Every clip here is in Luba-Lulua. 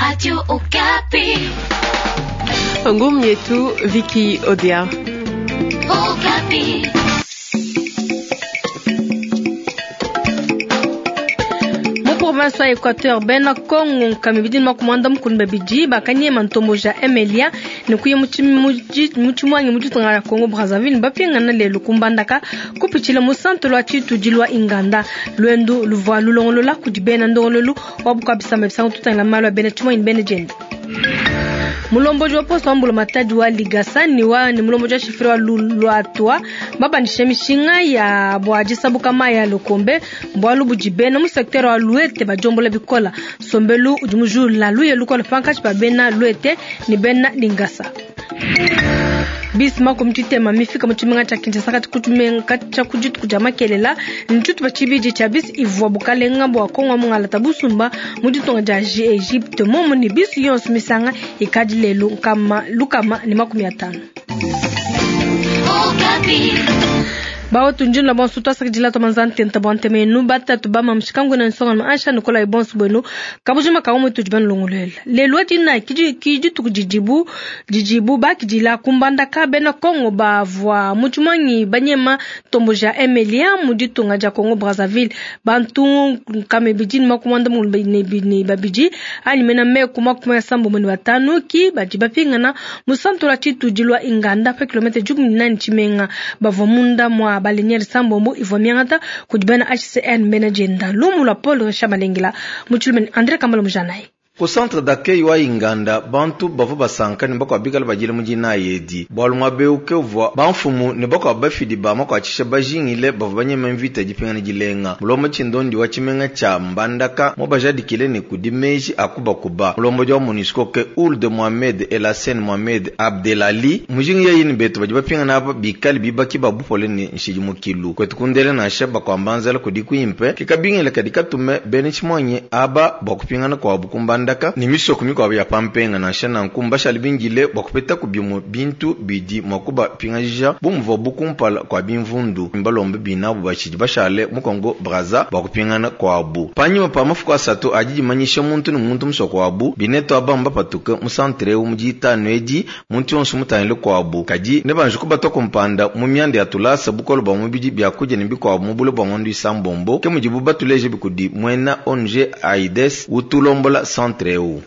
Radio Okapi. Ngumu yetu Viki Odia. Okapi. Mu province wa Equateur bena Kongo nkama ibidi ne makumi muanda mukulu ne babidi bakanyema ntombo ja Emelia ne kuya mu tshimuangi mu ditunga dia Congo Brazzaville ne bapingana lelu ku Mbandaka kupitshila mu centre lua tshitudilu wa Inganda. Luendu luvua lulongolola kudi bena ndongoluelu wa bukua bisamba bisangu tutangila malu a bena tshimuangi ne bena dienda. Mulombodi wa poste wa mbulamatadi wa Ligasa ne wa ne mulombodi wa shifre wa Luatua babandisha mishinga ya bua disabuka mayi ya Lukombe bualu budi bena mu secteur wa Luete badiombola bikola. Nsombelu udi mujula luye lukola pankatshi pa bena Luete ne bena Lingasa. Bisi makumi tshitema mifika mu tshimenga tshia Kinshasa kati ku tshimenga tshia ku dituku dia makelela ntshitupa tshibidi tshia bisi ivua bukalenga bua Kongo mungalata busumba mu ditunga dia Egypte momu ne bisi yonso misanga ikadi lelu nkama lukama ne makumi atanu. Bawetu njinla bonso twasakidila twamanza ntenta bua ntema yenu batatu ba mamushikangu na nsonga ansha nikola bonso bwenu kabujima ka umwe tudi banulongoluela lelu wa dina ki dituku didibu didibu bakidila kumbandaka bena Kongo bavua mu tshimuangi banyema ntombo ja Emelia mu ditunga dia Congo Brazzaville bantu nkama ibidi ne makumi muanda mukulu ne babidi anyi mena meku makumi asambombo ne batanu ki badi bapingana mu santu lua tshitudi lua Inganda pa kilomètre dikumi ne nane tshimenga bavua munda mua balenyeri sambombo ivua miangata kudi bena HCN bena dienda lumu lua Paul Richard Malengela mu tshilume André Kambala Mujanayi. Ku centre d'accueil wa Inganda bantu bavua basanka ne bakuabu bikale badila mu dinayi edi bualu muaba eu ke uvua bamfumu ne bakuabu bafidi ba makuatshisha bajingile bavua banyema mvita dipingana dilenga. Mulombodi tshindondi wa tshimenga tshia Mbandaka mubajadikile ne kudi meji a kubakuba. Mulombodi wa MONUSCO ke Ould Mohamed Elassene Mohamed Abdelali mujingi yeyi ne betu badi bapingana aba bikale bibaki ba bupole ne nshidimukilu kwetu kundele nansha bakuamba nzala kudi kuimpe ke kabingile kadi katume bena tshimuanyi aba bua kupingana kuabu ku Mbandaka ne misoko mikuabu ya pampenga nansha nanku mbashale bindile bua kupetaku bimue bintu bidi mua kubapingajija bu muvuabu kumpala kua bimvundu. Mbalombe binabu batshidi bashale mu Congo Brazza bua kupingana kuabu. Panyima pa mafuku asatu adi dimanyisha muntu ne muntu musoko wabu, binetu aba mbapatuke mu centre eu mu ditanu edi muntu yonso mutangile kuabu. Kadi nebanji kubatua kumpanda mu mianda ya tulasa bukole bua mubidi biakudia ne bikuabu mu bule bua ngondo isambombo ke mudibu batuleje bikudi muena ONG AIDS utulombola centre eu.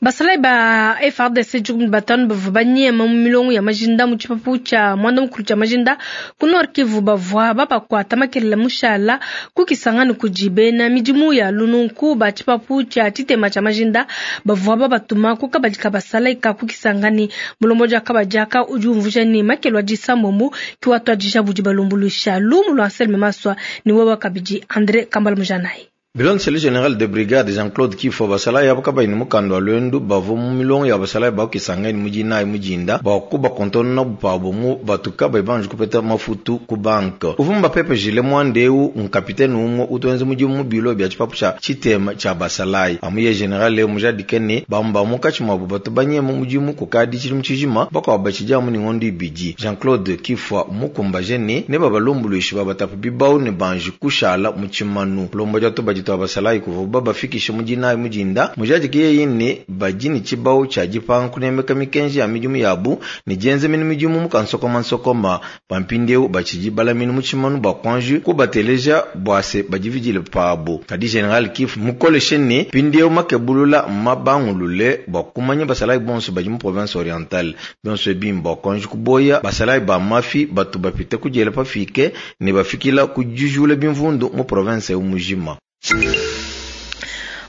Basalayi ba FARDC dikumi ne batanu bavua banyema mu milongo ya majinda mu tshipapu tshia muanda mukulu tshia majinda ku Nord Kivu bavua babakuata makelela mushala ku Kisangani kudi bena midimu ya lununku ba tshipapu tshia tshitema tshia majinda bavua babatuma ku kabadi ka basalayi ka ku Kisangani. Mulombodi wa kabadi aka udi umvuija ne makelu a disambombo ki watuadija budi balumbuluisha lumu lua Anselme Maswa ne wewa kabidi André Kambala Mujanayi. Bilondeshile général de brigade Jean-Claude Kifwa basalayi abo kabayi ne mukanda wa luendu bavua mu milongo ya basalayi ba ku Kisangani mu dinayi mu dinda bua kubakontonona pabu mu batu kabayi banji kupeta mafutu ku banke. Uvua mubapepejile muanda eu nkapitene umue utuenza mudimu mu bilo bia tshipapu tshia tshitema tshia basalayi. Amu ye général eu mujadike ne bamue ba munkatshi muabu batu banyema mudimu kukadi tshidimu tshijima bakuabu batshidi amu ne ngondo ibidi. Jean-Claude Kifwa mukumbaje ne nebabalumbuluishe babatape bibau ne banji kushala mu tshimanu. Mulombodi wa tubadi twa basalayi kuvuabu babafikishe mu dinayi mu dinda mujadike yeyi ne badi ne tshibau tshia dipanga kunemeka mikenji ya midimu yabu ne dienza mene midimu mu kansokomansokoma. Pampindiewu batshidi balamine mu tshimanu bua kuanji kubateleja bua se badividile pabu. Kadi général Kifwa mukoleshe ne mpindiewu makebulula mabangulule bua kumanya basalayi bonso badi mu province orientale bionso ebi mbua kuanji kuboya basalayi ba mafi batu bapite kudiela pafike ne bafikila ku dijula bimvundu mu province eu mujima.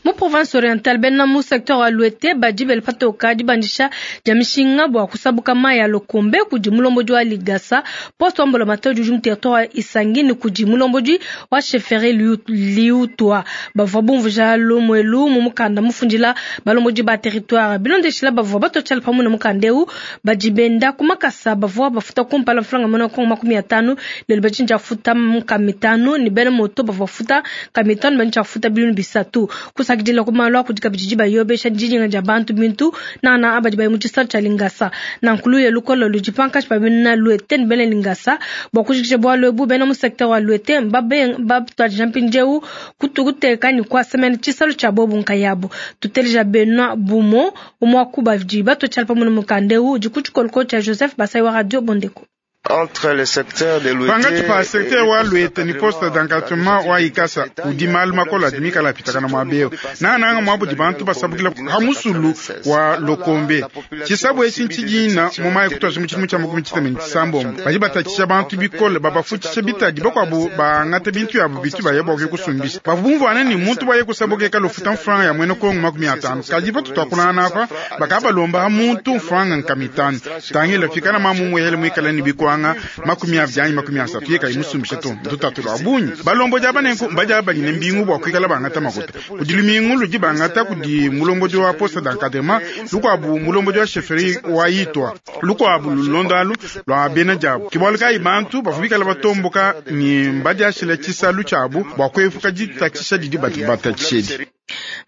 Mu province orientale bena mu secteur wa Luete badi bela patoka dibandisha dia mishinga bua kusabuka mayi ya Lokombe kudi mulombodi wa Ligasa poste wa mbulamatadi udi mu territoire wa Isangi ne kudi mulombodi wa chefferie Liutwa bavua bumvuija lumuelu mu mukanda mufundila balombodi ba territoire bilondeshila bavua batotshala pamue na mukanda eu badi benda ku makasa bavua bafuta kumpala mfranga mona kongo makumi atanu lelo badi nja futa nkama mitanu ne bena moto bavua bafuta nkama mitanu badi nja futa bilunu bisatu. Kusakidila ku malu a kudi kabidi dibayobesha didinga dia bantu bintu nangananga abadi baye mu tshisalu tshia Lingasa. Nanku luya lukole ludi pankatshi pa bena Luete ne bena Lingasa. Bua kujikija bualu ebu, bena mu sektere wa Luete mbatuadija mpindieu kuteka ne kuasa mene tshisalu tshia bobu nkayabu. Tuteleja Benoit Bumo, umue wa ku badi batua tshiala pamue ne mukanda eu udi ku tshikolokolo tshia Joseph Basai wa Radio Bondeko. Pankatshi pa secteur wa Luete ne poste d'encadrement wa Ikasa kudi malu makole adi mikale apitakana muaba eu, nangananga muaba udi bantu basabukila pa musulu wa Lokombe. Tshisabu etshi ntshidina mu mayi kutuadija mu tshidimu tshia makumi tshitema ne tshisambombo. Badi batatshisha bantu bikole, babafutshisha bitadi, bakuabu bangata bintu biabu bitu baya bua kuya kusumbisha. Bavua bumvuangane ne muntu bua yeye kusabuka ikale ufuta mfranga ya muena Kongo 50. Kadi patutuakulangana apa, bakabalomba muntu mfranga nkama itanu. Tangila, pikala mamu umuehele muikale ne bikuanga 20 anyi 30, yeye kayi musumbishe to, ndutatu lua bungi. Balombodi aba nenku mbadi abanyine mbingu bua kuikala bangata makuta. Kudi lumingu ludi bangata kudi mulombodi wa poste d'encadrement, lukuabu mulombodi wa chefferie wa Itwa, lukuabu lulonda alu lua bena diabu. Ke bualu kayi bantu bavua bikala batomboka ne mbadiashile tshisalu tshiabu bua kuepuka ditatshisha didi batatshisha edi.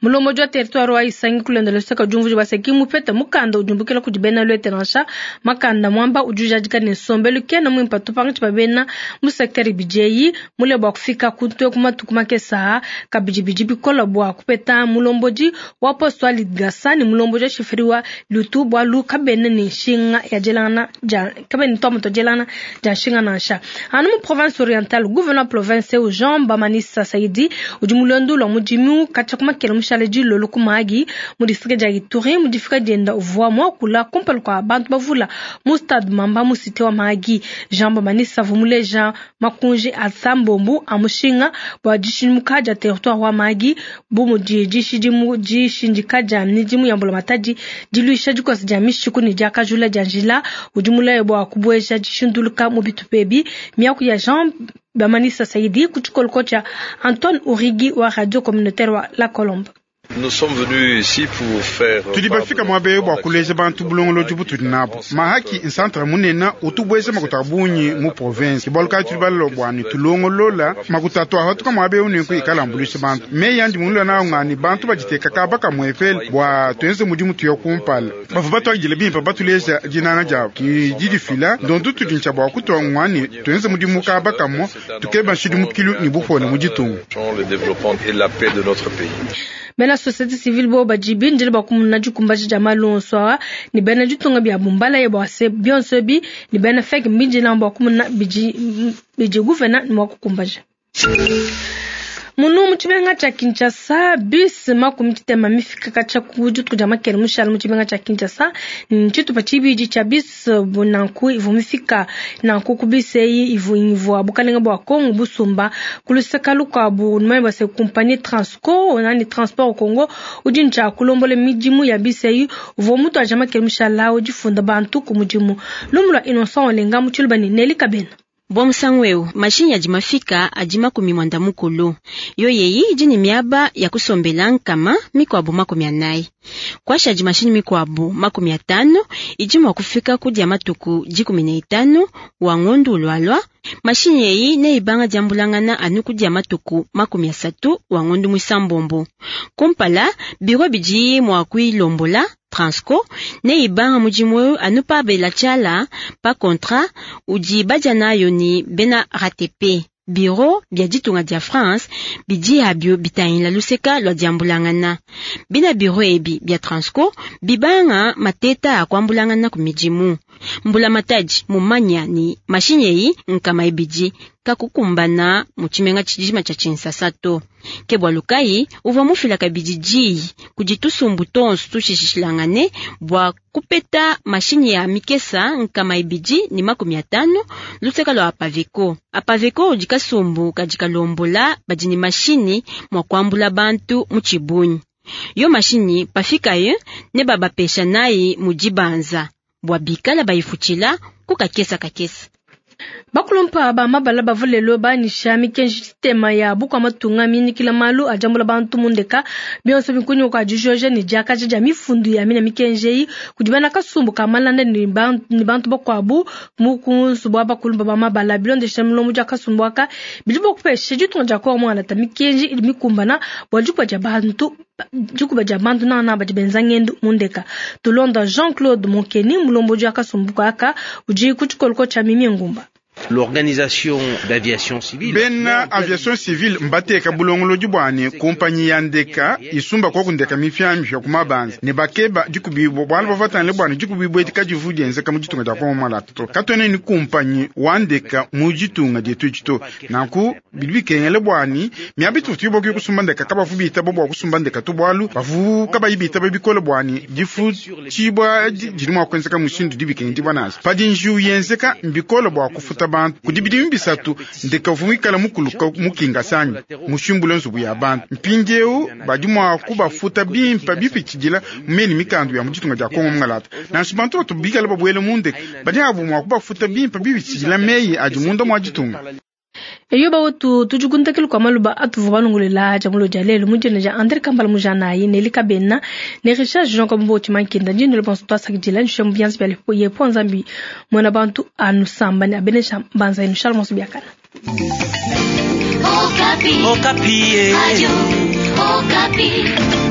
Mulombodi wa territoire wa Isangi kulonda luseke diumvuija bua se ki mupete mukanda udi umbukila kudi bena Luete nansha. Makanda muamba udi ujadika ne nsombelu kena muimpe to pankatshi pa bena mu secteur ibidi eyi mule bua kufika ku ntue ku matuku makese aa. Kabidi bidi bikola bua kupeta mulombodi wa poste wa Lidgasa ne mulombodi wa chefferie wa Lutu bualu kabena ne nshinga ya dielangana dia kabena ne tuamu tua dielangana dia nshinga nansha. Anu mu province orientale, gouverneur wa province eu Jean Bamanisa Saidi udi mu luendu lua mudimu katshia ku makela mushale dilolo ku Mahagi mu distrike dia Ituri. Mu difika dienda uvua muakula kumpala kua bantu bavula mu stade Mamba mu cité wa Mahagi. Jean Bamanisa uvua muleja makunji a sambombu a mushinga bua dishidimuka dia territoire wa Mahagi bu mudi dishindika dia midimu ya mbulamatadi, diluisha dikosa dia mishiku ne diakajula dia njila. Udi mulaye bua kubueja dishinduluka mu bitupa ebi. Miaku ya Jean Bamanisa Saidi ku tshikoloko tshia Antoine Urigi wa Radio Communautaire wa La Colombe. Tudi bafika muaba eu bua kuleja bantu bulongolodi butudi nabu. Mahaki nsantre munene utu bueja makuta a bungi mu province. Ke bualu kayi tudi balua bua ne tulongolola makuta atuahatuka muaba eu nenku ikala ambuluisha bantu. Meyi andi mulue nawu nga ne bantu baditeka kaba kamuepele bua tuenze mudimu tuya kumpala. Bavua batuakidile bimpe batuleja dinanga diabu ki didifila ndondu tudi ntshia bua kutua ngua ne tuenze mudimu kaba kamue tukeba nshidimukilu ne bupole mu ditunga. Bena société civile bo badi bindile bua kumuna dikumbaja dia malu onso aa ne bena ditunga biabu mbalaye bua se bionso ebi ne bena FEC mbindile bua kumuna bidi bidi gouverneur ne mua kukumbaja. Munu mu tshimenga tshia Kinshasa, bus 60 mifika katshia ku dituku dia makele mushale mu tshimenga tshia Kinshasa. Tshitupa tshibidi tshia bus nanku ivua mifika nanku ku bus eyi ivua bukalenga bua Kongo busumba ku luseka lukuabu numanye bua se compagnie Transco nani Transport Congo udi ntshia kulombola midimu ya bus eyi uvua mutuaja makele mushala udi funda bantu ku mudimu. Lumu lua Innocent Olenga mu Tshiluba ne Nelly Kabena. Bua musangu eu mashinyi adi mafika adi 90. Yo yeyi idi ne miaba ya kusombela nkama mikuabu 40. Kuasha adi mashinyi mikuabu 50 idi mua kufika ku dia matuku 15 wa ngondu ulualua. Mashinyi eyi neibanga diambulangana anu ku dia matuku 30 wa ngondu mwisambombo. Kumpala biro bidi mua kuilombola Transco neibanga mudimu eu anu pa bela tshiala pa contrat udi badia nayo ni bena RATP. Biro bia ditunga dia France bidi abio bitangila luseka lua diambulangana. Bina biro ebi bia Transco bibanga mateta a kuambulangana ku midimu. Mbula matadi mumanya ni mashinyi eyi nkama ibidi kakukumbana mu tshimenga tshijima tshia Kinshasa to. Ke bualu kayi uvua mufila kabidi diyi kudi tusumbu tonso tushishilangane bua kupeta mashinyi ya mikesa nkama ibidi ne 50 luseka lua Apaveko. Apaveko udi kasumbu kadi kalombola badi ne mashinyi mua kuambula bantu mu tshibunyi. Yo mashinyi pafikaye ne babapesha nayi mu dibanza bua bikala bayifutshila ku kakesa kakesa. Bakulumpa ba mabala bavua lelo banyisha mikenji sistema ya bukua matunga minyikila malu ajambula bantu mundeka bionso bikunyuka kwa dijoja ne diakaja dia mifundu ya mina mikenji eyi kudi bena kasumbu ka malanda ne bantu bakuabu mu kunsu bua bakulumpa ba mabala bilondesha mulombo dia kasumbu aka bidi bua kupesha ditunga dia Kongo mualata mikenji idi mikumbana bua dipua dia bantu. Dikuba dia bantu nangananga badi benza ngendu mu ndeka. Tulonda Jean Claude Munkeni, mulombodi wa kasumbu aka udi ku tshikoloko tshia Mimie Ngumba. L'organisation d'aviation civile. Bena aviation civile mbateka bulongolodi bwane kumpanyi ya ndeka isumba kwa kundeka mipiamipia ku mabanza ne bakeba dikubibwa bwala bavatane bwane dikubibwa edi kadivu dienzeka mu ditunga dia Kongo malata to katwene ni kumpanyi wa ndeka mu ditunga dietu edi to nanku bidi bikengele bwani miaba ituvu tuyiboki kusumba ndeka kabavu bitaba bwa kusumba ndeka to bwalu bavu kabayi bitaba bikole bwani difutshibwa didi mua kuenzeka mushindu dibikengedibwa nansha padi njiwu yenzeka mbikole bua kufuta bantu kudi bidimu bisatu ndeka uvua muikala mukuluka mukingasanyi mushimbule nzubu ya bantu mpindieu badi mua kubafuta bimpa bipitshidila mumeni mikandu ya mu ditunga dia Kongo mungalata nansha bantu batu bikala babuele mu ndeka badi abu mua kubafuta bimpa bipitshidila meyi adi munda mua ditunga. Eyo bawetu tudi kuntakila kua maluba atuvua balongolela dia mulo dia lelu mu dina dia Andre Kambala Mujanayi ne Lika Bena ne Richard Jean Kambo Mankenda ndine bonso twasakidila nshia mu bianza bia yepo Nzambi mwana bantu anusamba ne abenesha mbanza yenu. Shalom biakana. Okapi. Okapi. Radio Okapi.